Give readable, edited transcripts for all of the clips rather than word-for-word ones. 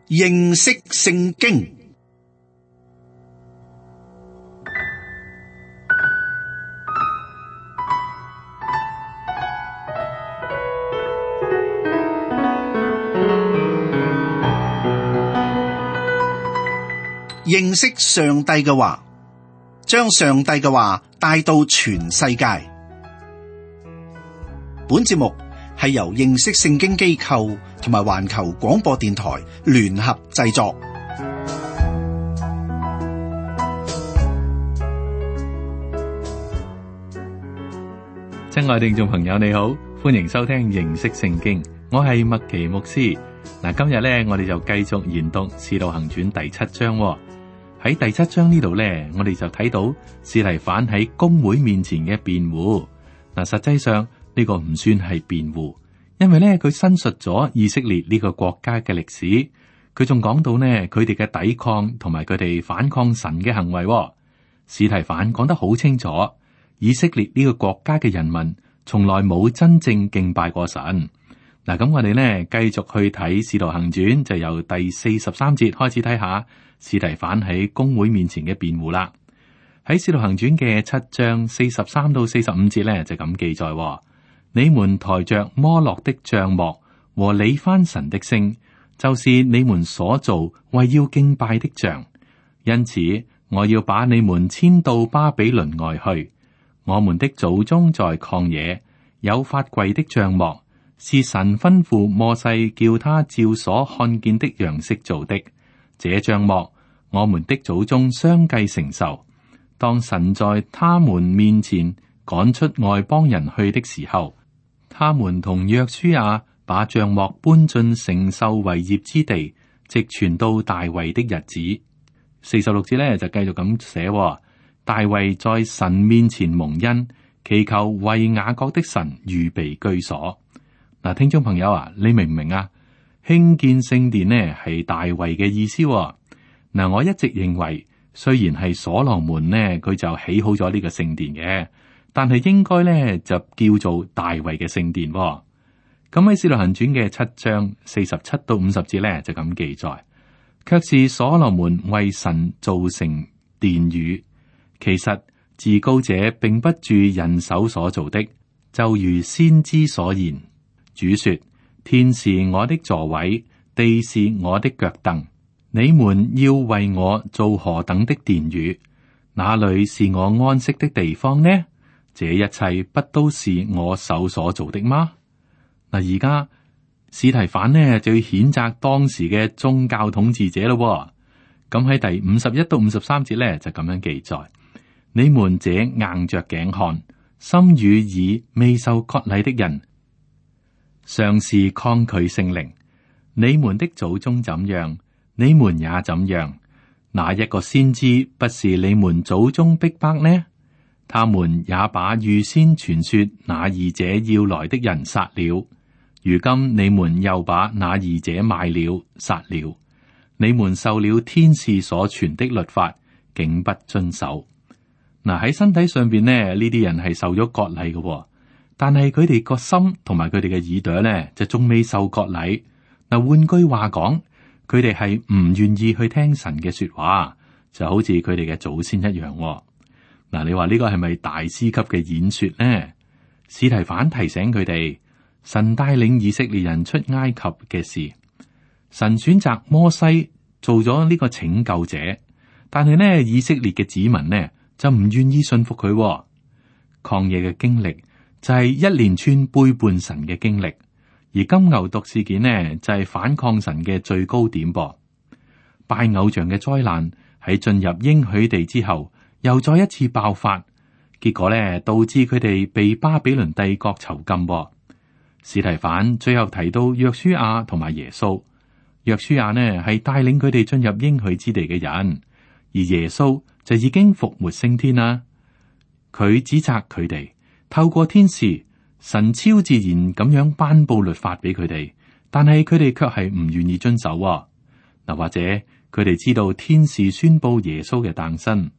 認識聖經。認識上帝嘅話，將上帝嘅話帶到全世界。本節目係由認識聖經機構同埋環球廣播電台聯合製作。親愛聽眾朋友，你好，歡迎收聽認識聖經，我係麥奇牧師。嗱，今日咧，我哋就繼續研讀《使徒行傳》第7章。喺第7章呢度咧，我哋就睇到司提反喺公會面前嘅辯護。嗱，實際上呢個唔算係辯護，因為咧佢申述咗以色列呢個國家嘅歷史，佢仲講到呢佢哋嘅抵抗同埋佢哋反抗神嘅行為。司提反講得好清楚，以色列呢個國家嘅人民從來冇真正敬拜過神。嗱，咁我哋呢繼續去睇《使徒行傳》，就由第43節開始睇下司提反喺公會面前嘅辯護啦。喺《使徒行傳》嘅7章43到45節呢，就咁記載：你們抬着摩洛的帳幕和理番神的星，就是你們所做為要敬拜的像。因此，我要把你們遷到巴比倫外去。我們的祖宗在曠野有法櫃的帳幕，是神吩咐摩西叫他照所看見的樣式做的。這帳幕我們的祖宗相繼承受。當神在他們面前趕出外邦人去的時候，他們同約書亞把帳幕搬進承受為業之地，直傳到大衛的日子。46節呢就繼續咁寫：大衛在神面前蒙恩，祈求為雅各的神預備居所。嗱，聽眾朋友啊，你明唔明啊？興建聖殿呢係大衛嘅意思。嗱，我一直認為，雖然係所羅門呢，佢就起好咗呢個聖殿嘅，但係應該呢就叫做大衛嘅聖殿。咁喺《使徒行傳》嘅7章47到50節呢，就咁記載，卻是所羅門為神造成殿宇。其實至高者並不住人手所造的，就如先知所言。主說：天是我的座位，地是我的腳凳。你們要為我做何等的殿宇？哪裏是我安息的地方呢？這一切不都是我手所做的嗎？嗱，而家司提反呢就要譴責當時嘅宗教統治者咯。咁喺第51到53節呢就咁樣記載：你們這硬着頸看、心與耳未受割禮的人，尚是抗拒聖靈。你們的祖宗怎樣，你們也怎樣。哪一個先知不是你們祖宗逼迫呢？他們也把預先傳說那義者要來的人殺了。如今你們又把那義者賣了、殺了。你們受了天使所傳的律法，竟不遵守。嗱，喺身體上邊呢啲人係受咗割禮嘅，但係佢哋個心同埋佢哋嘅耳朵呢，就仲未受割禮。嗱，換句話講，佢哋係唔願意去聽神嘅說話，就好似佢哋嘅祖先一樣。嗱，你話呢個係咪大師級嘅演說呢？司提反提醒佢哋，神帶領以色列人出埃及嘅事，神選擇摩西做咗呢個拯救者，但係呢，以色列嘅子民呢就唔願意信服佢。曠野嘅經歷就係一連串背叛神嘅經歷，而金牛犢事件呢就係反抗神嘅最高點噃。拜偶像嘅災難喺進入應許地之後，又再一次爆發，結果咧導致佢哋被巴比倫帝國囚禁。司提反最後提到約書亞同埋耶穌。約書亞呢係帶領佢哋進入應許之地嘅人，而耶穌就已經復活升天啦。佢指責佢哋透過天使，神超自然咁樣頒布律法俾佢哋，但係佢哋卻係唔願意遵守。嗱，或者佢哋知道天使宣布耶穌嘅誕生。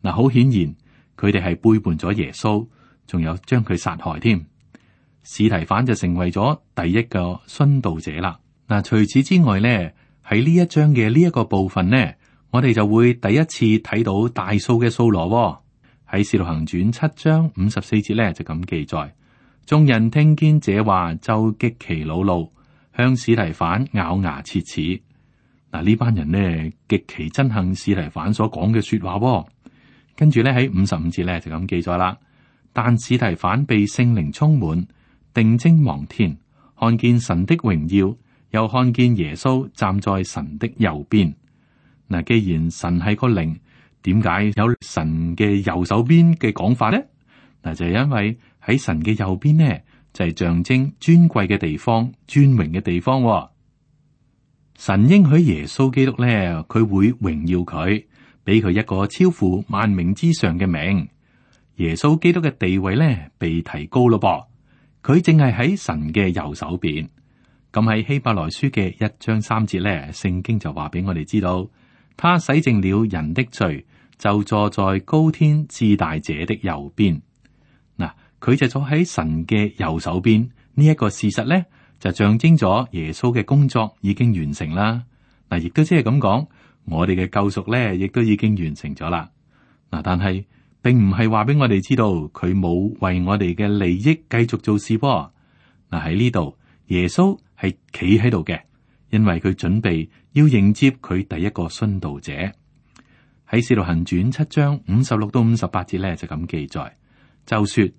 嗱，好顯然佢哋係背叛咗耶穌，仲有將佢殺害添。司提反就成為咗第一個殉道者啦。嗱，除此之外咧，喺呢一章嘅呢一個部分呢，我哋就會第一次睇到大數嘅掃羅。喺使徒行傳7章54節呢，就咁記載，眾人聽見這話就極其惱怒，向司提反咬牙切齒。嗱，呢班人呢極其憎恨司提反所講嘅說話。跟住咧喺55節咧就咁記載啦。但司提反被聖靈充滿，定睛望天，看見神的榮耀，又看見耶穌站在神的右邊。嗱，既然神係個靈，點解有神嘅右手邊嘅講法呢？嗱，就係因為喺神嘅右邊呢，就係象徵尊貴嘅地方、尊榮嘅地方。神應許耶穌基督咧，佢會榮耀佢，俾佢一個超乎萬名之上嘅名。耶穌基督嘅地位咧被提高咯噃，佢淨係喺神嘅右手邊。咁喺希伯來書嘅1章3節咧，聖經就話俾我哋知道，他洗淨了人的罪，就坐在高天至大者的右邊。嗱，佢就坐喺神嘅右手邊，呢一個事實咧，就象徵咗耶穌嘅工作已經完成啦。嗱，亦都即係咁講，我哋嘅救贖咧，亦都已經完成咗啦。嗱，但係並唔係話俾我哋知道佢冇為我哋嘅利益繼續做事噃。嗱，喺呢度，耶穌係企喺度嘅，因為佢準備要迎接佢第一個殉道者。喺使徒行傳7章56到58節咧就咁記載，就說：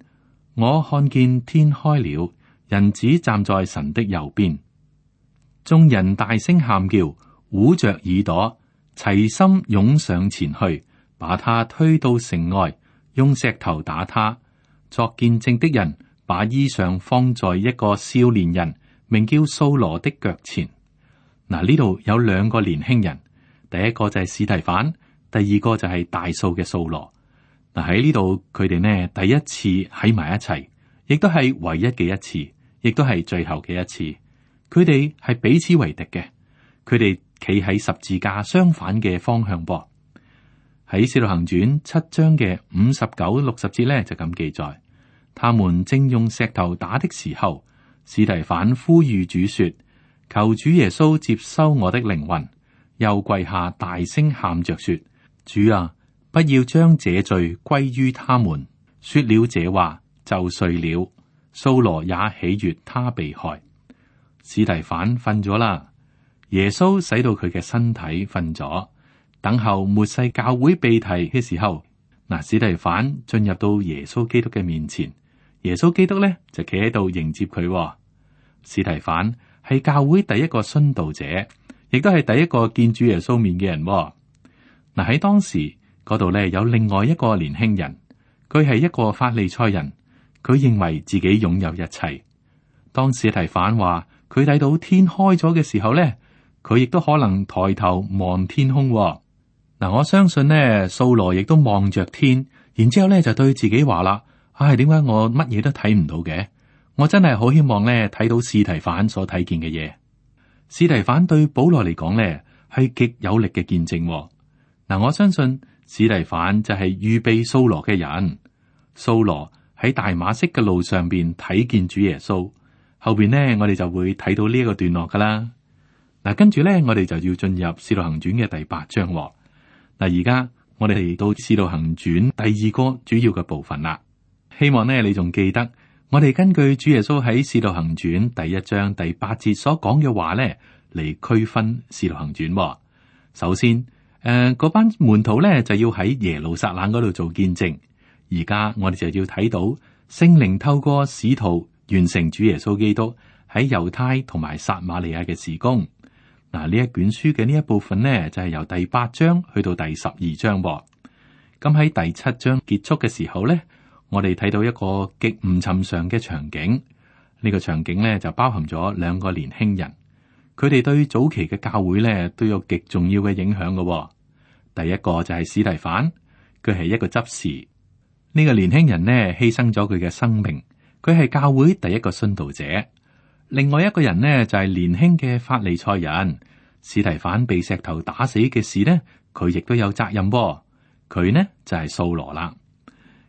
我看見天開了。人子站在神的右邊，眾人大聲喊叫，捂着耳朵，齊心湧上前去，把他推到城外，用石頭打他。作見證的人把衣裳放在一個少年人名叫掃羅的腳前。嗱，呢度有兩個年輕人，第一個就係司提反，第二個就係大數嘅掃羅。嗱，喺呢度佢哋呢第一次喺埋一齊，亦都係唯一嘅一次。亦都係最後嘅一次，佢哋係彼此為敵嘅，佢哋企喺十字架相反嘅方向噃。喺使徒行傳7章嘅59、60節咧就咁記載，他們正用石頭打的時候，司提反呼籲主說：求主耶穌接收我的靈魂，又跪下大聲喊着說：主啊，不要將這罪歸於他們。說了這話就睡了。掃羅也喜悅他被害，司提反瞓咗啦。耶穌使到佢嘅身體瞓咗，等候末世教會被提嘅時候，嗱，司提反進入到耶穌基督嘅面前，耶穌基督咧就企喺度迎接佢。司提反係教會第一個殉道者，亦都係第一個見主耶穌面嘅人。嗱，喺當時嗰度咧有另外一個年輕人，佢係一個法利賽人。佢認為自己擁有一切。當司提反話佢睇到天開咗嘅時候咧，佢亦都可能抬頭望天空。嗱，我相信呢，掃羅亦都望着天，然之後咧就對自己話啦：唉，點解我乜嘢都睇唔到嘅？我真係好希望咧睇到司提反所睇見嘅嘢。司提反對保羅嚟講咧係極有力嘅見證。嗱，我相信司提反就係預備掃羅嘅人。掃羅喺大馬色嘅路上邊睇見主耶穌，後邊呢，我哋就會睇到呢一個段落噶啦。嗱，跟住咧我哋就要進入使徒行傳嘅第8章。嗱，而家我哋嚟到使徒行傳第二個主要嘅部分啦。希望呢，你仲記得我哋根據主耶穌喺使徒行傳第1章第8節所講嘅話咧嚟區分使徒行傳。首先，嗰班門徒咧就要喺耶路撒冷嗰度做見證。而家我哋就要睇到聖靈透過使徒完成主耶穌基督喺猶太同埋撒瑪利亞嘅事工。嗱，呢一卷書嘅呢一部分呢，就係由第8章去到第12章。咁喺第7章結束嘅時候呢，我哋睇到一個極唔尋常嘅場景。呢個場景呢，就包含咗兩個年輕人，佢哋對早期嘅教會呢都有極重要嘅影響嘅。第一個就係司提反，佢係一個執事。呢個年輕人呢，犧牲咗佢嘅生命，佢係教會第一個殉道者。另外一個人呢，就係年輕嘅法利賽人。司提反被石頭打死嘅事呢，佢亦都有責任。佢呢就係掃羅啦。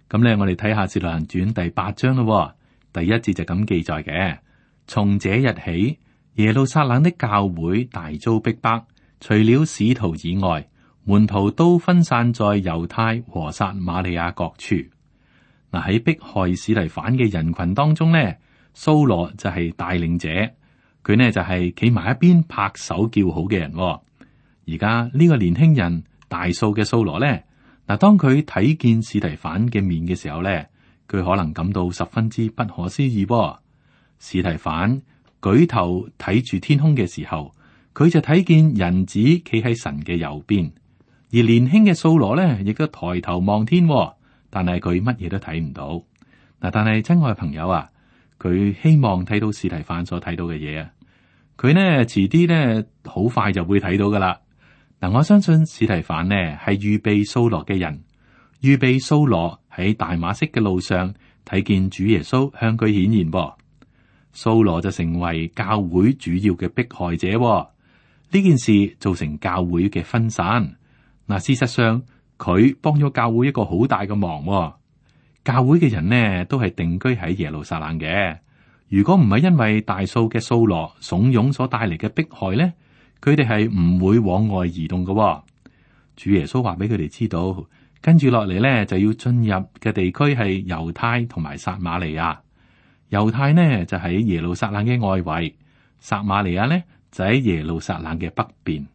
咁咧，我哋睇下《使徒行傳》第8章咯。第1節就咁記載嘅：從這日起，耶路撒冷的教會大遭逼迫，除了使徒以外，門徒都分散在猶太和撒瑪利亞各處。嗱，喺迫害司提反嘅人群當中呢，掃羅就係帶領者，佢呢就係企埋一邊拍手叫好嘅人。而家呢個年輕人大數嘅掃羅呢，嗱，當佢睇見司提反嘅面嘅時候呢，佢可能感到十分之不可思議。司提反舉頭睇住天空嘅時候，佢就睇見人子企喺神嘅右邊，而年輕嘅掃羅呢，亦都抬頭望天，但係佢乜嘢都睇唔到。嗱，但係親愛朋友啊，佢希望睇到司提反所睇到嘅嘢啊，佢呢遲啲呢好快就會睇到噶啦。嗱，我相信司提反呢係預備掃羅嘅人，預備掃羅喺大馬色嘅路上睇見主耶穌向佢顯現噃。掃羅就成為教會主要嘅迫害者。呢件事造成教會嘅分散。嗱，事實上佢幫咗教會一個好大嘅忙。教會嘅人呢都係定居喺耶路撒冷嘅。如果唔係因為大數嘅掃羅慫恿所帶嚟嘅迫害呢，佢哋係唔會往外移動嘅。主耶穌話俾佢哋知道，跟住落嚟呢就要進入嘅地區係猶太同埋撒瑪利亞。猶太呢就喺耶路撒冷嘅外圍，撒瑪利亞呢就喺耶路撒冷嘅北邊。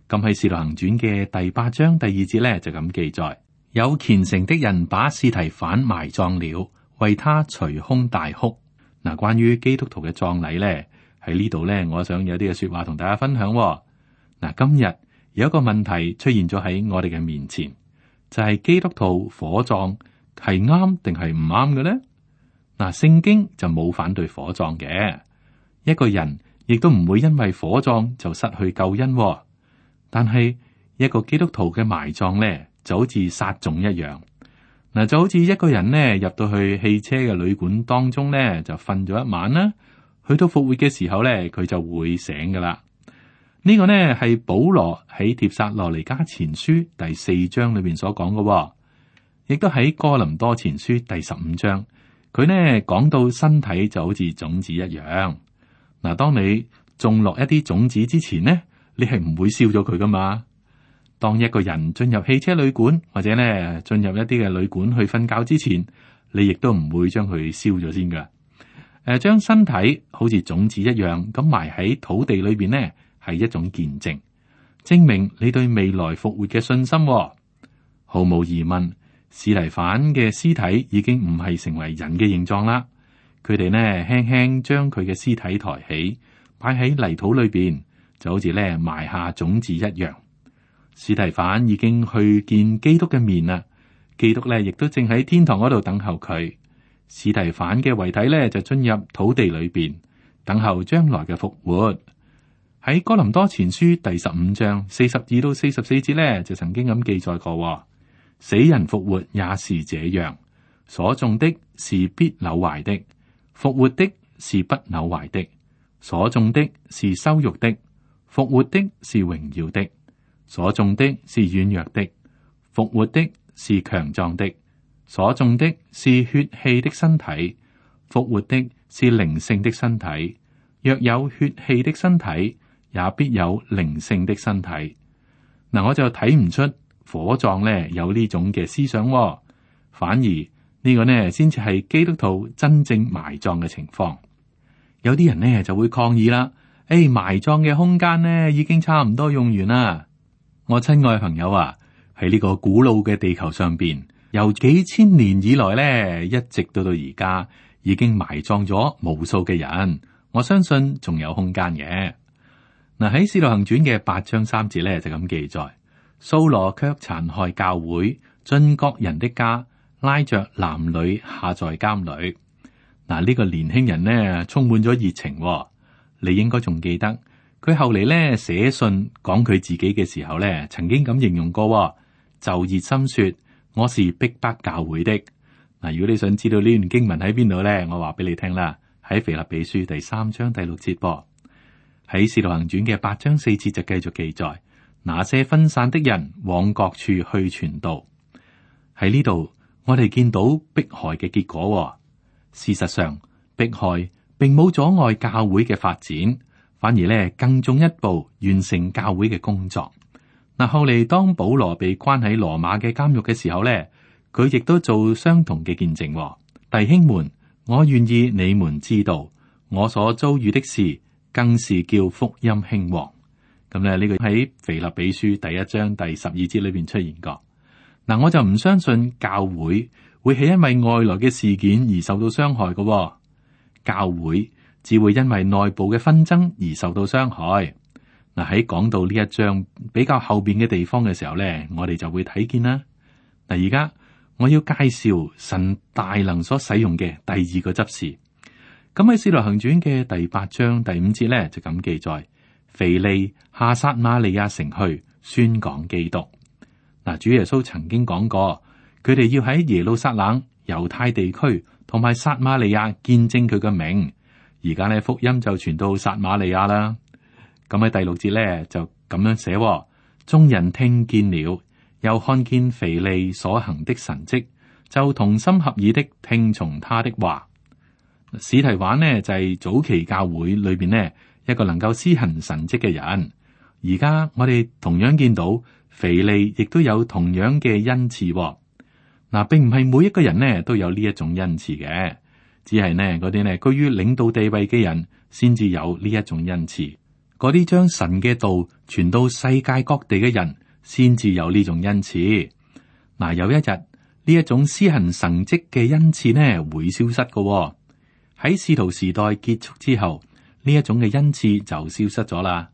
咁喺《使徒行傳》嘅第8章第2節呢就咁記載：有虔誠的人把司提反埋葬了，為他捶胸大哭。嗱，關於基督徒嘅葬禮呢，喺呢度呢，我想有啲嘅說話同大家分享。嗱，今日有一個問題出現咗喺我哋嘅面前，就係基督徒火葬係啱定係唔啱嘅呢？嗱，聖經就冇反對火葬嘅，一個人亦都唔會因為火葬就失去救恩。但係一個基督徒嘅埋葬呢，就好似撒種一樣。嗱，就好似一個人呢入到去汽車嘅旅館當中呢，就瞓咗一晚啦，去到復活嘅時候呢，佢就會醒噶啦。呢個呢係保羅喺帖撒羅尼迦前書第4章裏邊所講嘅，亦都喺哥林多前書第15章。佢呢講到身體就好似種子一樣。嗱，當你種落一啲種子之前呢，你係唔會燒咗佢噶嘛。當一個人進入汽車旅館或者呢進入一啲嘅旅館去瞓覺之前，你亦都唔會將佢燒咗先噶。將身體好似種子一樣咁埋喺土地裏邊呢，係一種見證，證明你對未來復活嘅信心。毫無疑問，司提反嘅屍體已經唔係成為人嘅形狀啦。佢哋呢輕輕將佢嘅屍體抬起，擺喺泥土裏邊，就好似呢埋下種子一樣。司提反已經去見基督嘅面啦，基督呢亦都正喺天堂嗰度等候佢。司提反嘅遺體呢就進入土地裏邊，等候將來嘅復活。喺哥林多前書第15章42到44節呢，就曾經咁記載過：死人復活也是這樣，所種的是必朽壞的，復活的是不朽壞的；所種的是羞辱的，復活的是榮耀的；所種的是軟弱的，復活的是強壯的；所種的是血氣的身體，復活的是靈性的身體。若有血氣的身體，也必有靈性的身體。嗱，我就睇唔出火葬呢有呢種嘅思想，反而呢個呢先至係基督徒真正埋葬嘅情況。有啲人呢就會抗議啦，埋葬嘅空間呢已經差唔多用完啦。我親愛朋友啊，喺呢個古老嘅地球上邊，由幾千年以來呢，一直到而家，已經埋葬咗無數嘅人。我相信仲有空間嘅。嗱，喺《使徒行傳》嘅8章3節呢，就咁記載：掃羅卻殘害教會，進各人的家，拉着男女下在監裏。嗱，呢個年輕人呢，充滿咗熱情。你應該仲記得佢後嚟呢寫信講佢自己嘅時候呢，曾經咁形容過，就熱心說我是逼迫教會的。嗱，如果你想知道呢段經文喺邊度呢，我話俾你聽啦，喺腓立比書第3章第6節噃。喺使徒行傳嘅8章4節就繼續記載，那些分散的人往各處去傳道。喺呢度我哋見到迫害嘅結果。事實上，迫害並冇阻礙教會嘅發展，反而咧更進一步完成教會嘅工作。嗱，後嚟當保羅被關喺羅馬嘅監獄嘅時候咧，佢亦都做相同嘅見證。弟兄們，我願意你們知道，我所遭遇的事，更是叫福音興旺。咁咧呢個喺腓立比書第1章第12節裏邊出現過。嗱，我就唔相信教會會係因為外來嘅事件而受到傷害嘅。教會只會因為內部嘅紛爭而受到傷害。嗱，喺講到呢一章比較後邊嘅地方嘅時候咧，我哋就會睇見啦。嗱，而家我要介紹神大能所使用嘅第二個執事。咁喺《使徒行傳》嘅第8章第5節咧就咁記載：腓利下撒瑪利亞城去宣講基督。嗱，主耶穌曾經講過，佢哋要喺耶路撒冷、猶太地區同埋撒瑪利亞見證佢嘅名。而家咧福音就傳到撒瑪利亞啦。咁喺第6節咧就咁樣寫：眾人聽見了，又看見腓利所行的神蹟，就同心合意的聽從他的話。史提反呢就係早期教會裏邊呢一個能夠施行神蹟嘅人。而家我哋同樣見到腓利亦都有同樣嘅恩賜。嗱，並唔係每一個人呢都有呢一種恩賜嘅，只係呢嗰啲呢居於領導地位嘅人先至有呢一種恩賜。嗰啲將神嘅道傳到世界各地嘅人先至有呢種恩賜。嗱，有一日呢一種施行神蹟嘅恩賜呢會消失嘅。喺使徒時代結束之後，呢一種嘅恩賜就消失咗啦。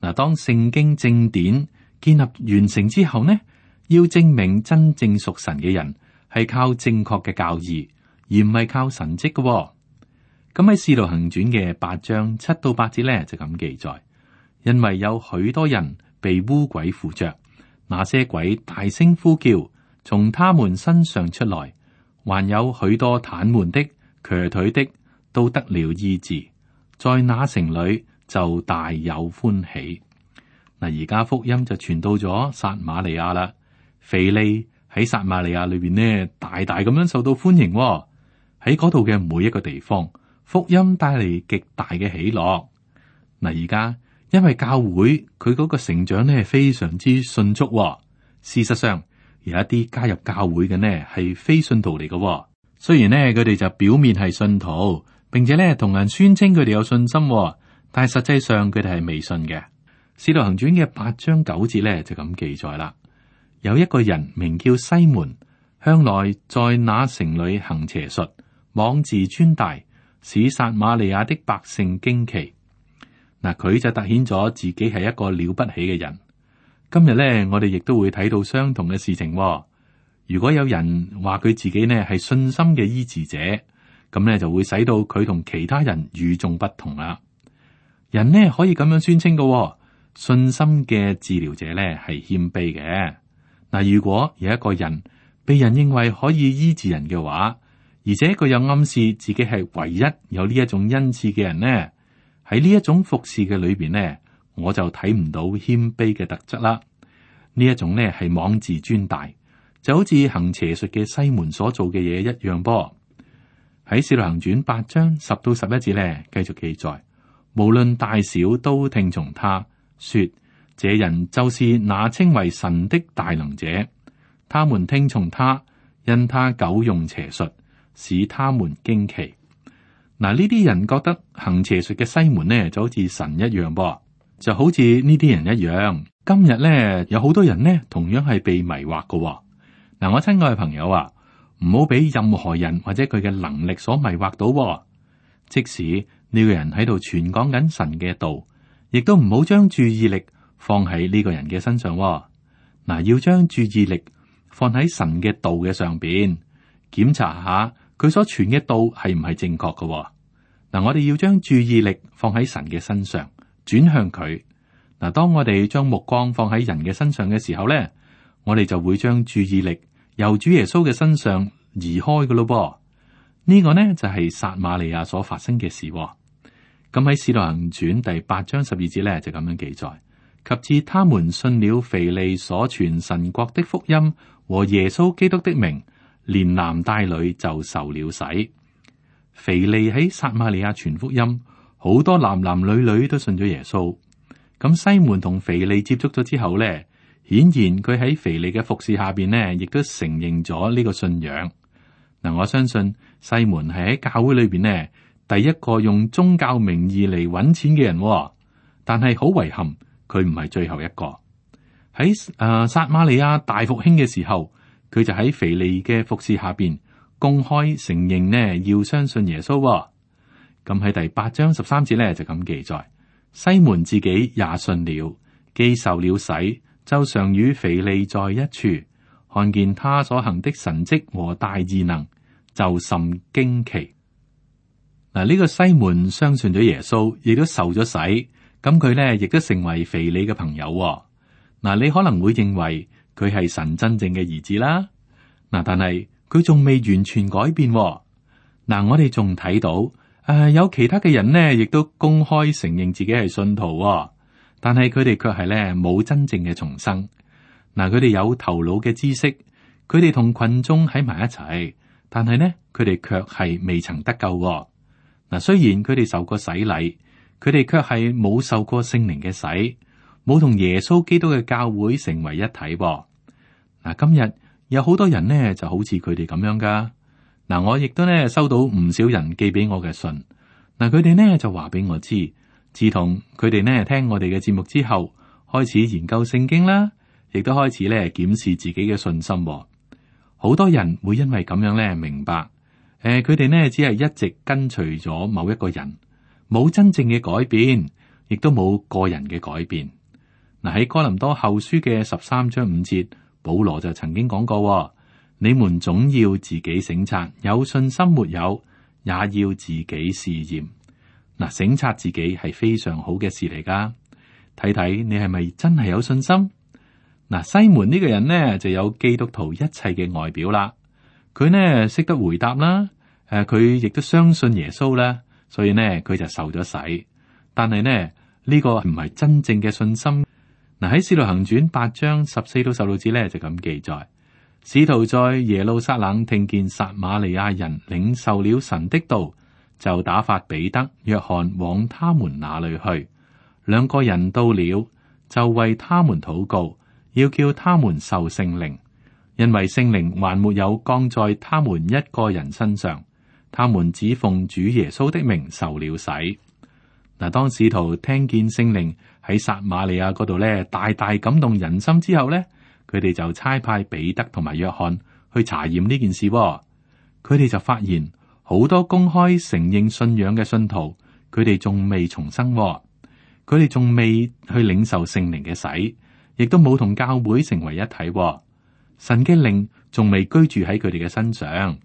嗱，當聖經正典建立完成之後呢，要證明真正屬神嘅人係靠正確嘅教義，而唔係靠神蹟嘅。咁喺《使徒行傳》嘅8章7到8節咧就咁記載：因為有許多人被污鬼附着，那些鬼大聲呼叫，從他們身上出來，還有許多癱瘓的、瘸腿的，都得了醫治，在那城裏就大有歡喜。嗱，而家福音就傳到咗撒瑪利亞啦。腓利喺撒瑪利亞裏邊呢，大大咁樣受到歡迎。喺嗰度嘅每一個地方，福音帶嚟極大嘅喜樂。嗱，而家因為教會佢嗰個成長呢非常之迅速。事實上，有一啲加入教會嘅呢係非信徒嚟嘅。雖然呢佢哋就表面係信徒，並且呢同人宣稱佢哋有信心，但係實際上佢哋係未信嘅。使徒行傳嘅8章9節呢就咁記載啦。有一個人名叫西門，向來在那城裏行邪術，妄自尊大，使撒瑪利亞的百姓驚奇。嗱，佢就凸顯咗自己係一個了不起嘅人。今日呢，我哋亦都會睇到相同嘅事情。如果有人話佢自己呢係信心嘅醫治者，咁呢就會使到佢同其他人與眾不同啦。人呢可以咁樣宣稱嘅，信心嘅治療者呢係謙卑嘅。嗱，如果有一個人被人認為可以醫治人嘅話，而且佢又暗示自己係唯一有呢一種恩賜嘅人呢，喺呢一種服侍嘅裏邊呢，我就睇唔到謙卑嘅特質啦。呢一種呢係妄自尊大，就好似行邪術嘅西門所做嘅嘢一樣噃。喺使徒行傳8章10到11節呢，繼續記載，無論大小都聽從他，說這人就是那稱為神的大能者。他們聽從他，因他久用邪術，使他們驚奇。嗱，呢啲人覺得行邪術嘅西門呢就好似神一樣噃，就好似呢啲人一樣。今日呢，有好多人呢同樣係被迷惑嘅。嗱，我親愛嘅朋友啊，唔好俾任何人或者佢嘅能力所迷惑到。即使呢個人喺度傳講緊神嘅道，亦都唔好將注意力放喺呢個人嘅身上。嗱，要將注意力放喺神嘅道嘅上邊，檢查下佢所傳嘅道係唔係正確嘅。嗱，我哋要將注意力放喺神嘅身上，轉向佢。嗱，當我哋將目光放喺人嘅身上嘅時候咧，我哋就會將注意力由主耶穌嘅身上移開嘅咯噃。呢個呢就係撒瑪利亞所發生嘅事。咁喺使徒行傳第8章12節咧就咁樣記載，及至他們信了腓利所傳神國的福音和耶穌基督的名，連男帶女就受了洗。腓利喺撒瑪利亞傳福音，好多男男女女都信咗耶穌。咁西門同腓利接觸咗之後咧，顯然佢喺腓利嘅服侍下邊呢，亦都承認咗呢個信仰。嗱，我相信西門係喺教會裏邊呢，第一個用宗教名義嚟搵錢嘅人，但係好遺憾，佢唔係最後一個。喺撒瑪利亞大復興嘅時候，佢就喺腓利嘅服侍下邊公開承認呢，要相信耶穌。咁喺第8章13節咧就咁記載，西門自己也信了，既受了洗，就常與腓利在一處，看見他所行的神蹟和大異能，就甚驚奇。嗱，呢個西門相信咗耶穌，亦都受咗洗，咁佢咧亦都成為腓利嘅朋友。嗱，你可能會認為佢係神真正嘅兒子啦。嗱，但係佢仲未完全改變。嗱，我哋仲睇到有其他嘅人呢，亦都公開承認自己係信徒，但係佢哋卻係咧冇真正嘅重生。嗱，佢哋有頭腦嘅知識，佢哋同群眾喺埋一齊，但係呢，佢哋卻係未曾得救。嗱，雖然佢哋受過洗禮，佢哋卻係冇受過聖靈嘅洗，冇同耶穌基督嘅教會成為一體。嗱，今日有好多人呢就好似佢哋咁樣噶。嗱，我亦都呢收到唔少人寄俾我嘅信。嗱，佢哋呢就話俾我知，自從佢哋呢聽我哋嘅節目之後，開始研究聖經啦，亦都開始呢檢視自己嘅信心。好多人會因為咁樣呢明白，佢哋呢只係一直跟隨咗某一個人，冇真正嘅改變，亦都冇個人嘅改變。嗱，喺哥林多後書嘅13章5節，保羅就曾經講過。你們總要自己省察，有信心沒有，也要自己試驗。嗱，省察自己係非常好嘅事嚟噶。睇睇你係咪真係有信心？嗱，西門呢個人呢就有基督徒一切嘅外表啦。佢呢識得回答啦，佢亦都相信耶穌啦，所以呢佢就受咗洗。但係呢呢個唔係真正嘅信心。嗱，喺《使徒行傳》8章14到16節咧就咁記載。使徒在耶路撒冷聽見撒瑪利亞人領受了神的道，就打發彼得、約翰往他們那裏去。兩個人到了，就為他們禱告，要叫他們受聖靈，因為聖靈還沒有降在他們一個人身上。他們只奉主耶穌的名受了洗。嗱，當使徒聽見聖靈喺撒瑪利亞嗰度咧大大感動人心之後咧，佢哋就差派彼得同埋約翰去查驗呢件事。佢哋就發現好多公開承認信仰嘅信徒，佢哋仲未重生，佢哋仲未去領受聖靈嘅洗，亦都冇同教會成為一體。神嘅靈仲未居住喺佢哋嘅身上，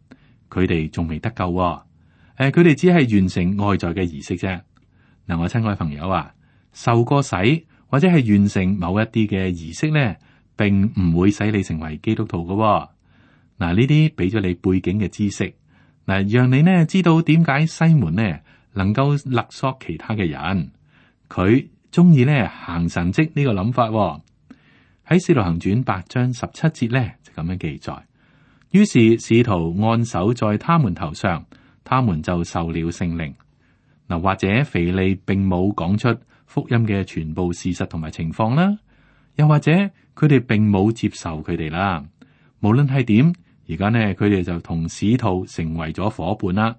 佢哋仲未得救。佢哋只係完成外在嘅儀式啫。嗱，我親愛朋友啊，受過洗或者係完成某一啲嘅儀式咧，並唔會使你成為基督徒嘅。嗱，呢啲俾咗你背景嘅知識，嗱，讓你呢知道點解西門呢能夠勒索其他嘅人，佢中意呢行神蹟呢個諗法。喺使徒行傳8章17節咧就咁樣記載。於是使徒按手在他們頭上，他們就受了聖靈。嗱，或者腓利並冇講出福音嘅全部事實同埋情況啦，又或者佢哋並冇接受佢哋啦。無論係點，而家呢佢哋就同使徒成為咗伙伴啦。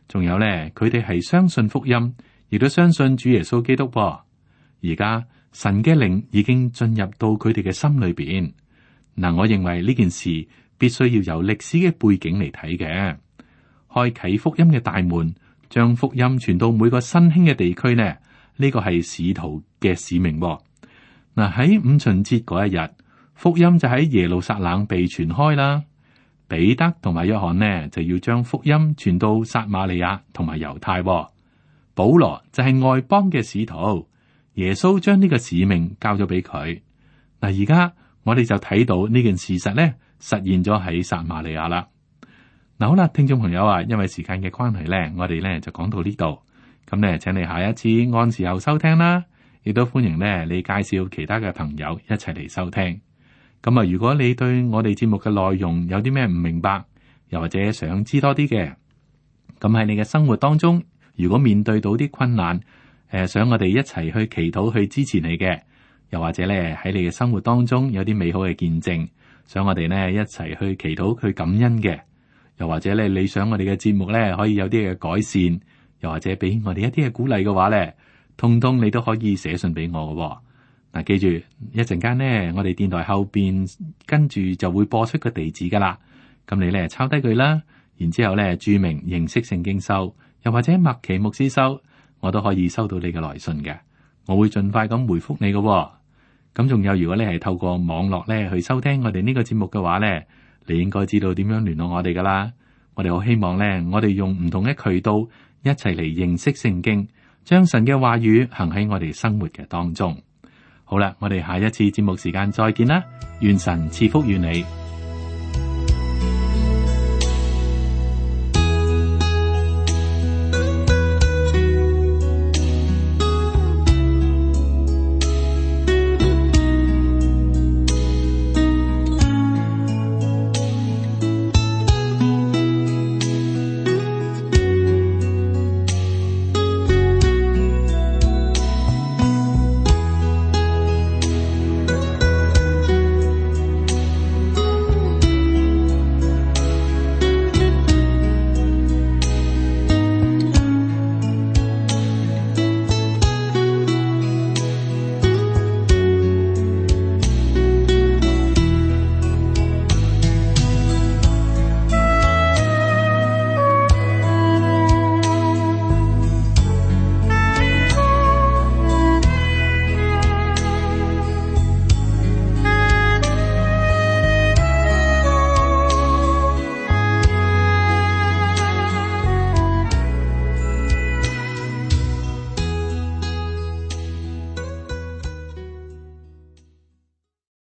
仲有呢，佢哋係相信福音，亦都相信主耶穌基督。而家神嘅靈已經進入到佢哋嘅心裏邊。嗱，我認為呢件事必須要由歷史嘅背景嚟睇嘅，開啟福音嘅大門。將福音傳到每個新興嘅地區呢？呢個係使徒嘅使命。嗱，喺五旬節嗰一日，福音就喺耶路撒冷被傳開啦。彼得同埋約翰呢就要將福音傳到撒瑪利亞同埋猶太。保羅就係外邦嘅使徒，耶穌將呢個使命交咗俾佢。嗱，而家我哋就睇到呢件事實呢實現咗喺撒瑪利亞啦。嗱，好啦，聽眾朋友啊，因為時間嘅關係咧，我哋咧就講到呢度。咁咧，請你下一次按時候收聽啦，亦都歡迎咧你介紹其他嘅朋友一齊嚟收聽。咁啊，如果你對我哋節目嘅內容有啲咩唔明白，又或者想知多啲嘅，咁喺你嘅生活當中如果面對到啲困難，想我哋一齊去祈禱去支持你嘅，又或者咧喺你嘅生活當中有啲美好嘅見證，想我哋呢一齊去祈禱去感恩嘅，又或者咧你想我哋嘅節目咧可以有啲嘅改善，又或者俾我哋一啲嘅鼓勵嘅話咧，通通你都可以寫信俾我嘅。嗱，記住一陣間呢，我哋電台後邊跟住就會播出個地址噶啦，咁你咧抄低佢啦，然之後咧注明認識聖經收，又或者麥奇牧師收，我都可以收到你嘅來信嘅，我會盡快咁回覆你嘅。咁仲有，如果你係透過網絡咧去收聽我哋呢個節目嘅話咧，你應該知道點樣聯絡我哋噶啦。我哋好希望咧，我哋用唔同嘅渠道一齊嚟認識聖經，將神嘅話語行喺我哋生活嘅當中。好啦，我哋下一次節目時間再見啦，願神賜福於你。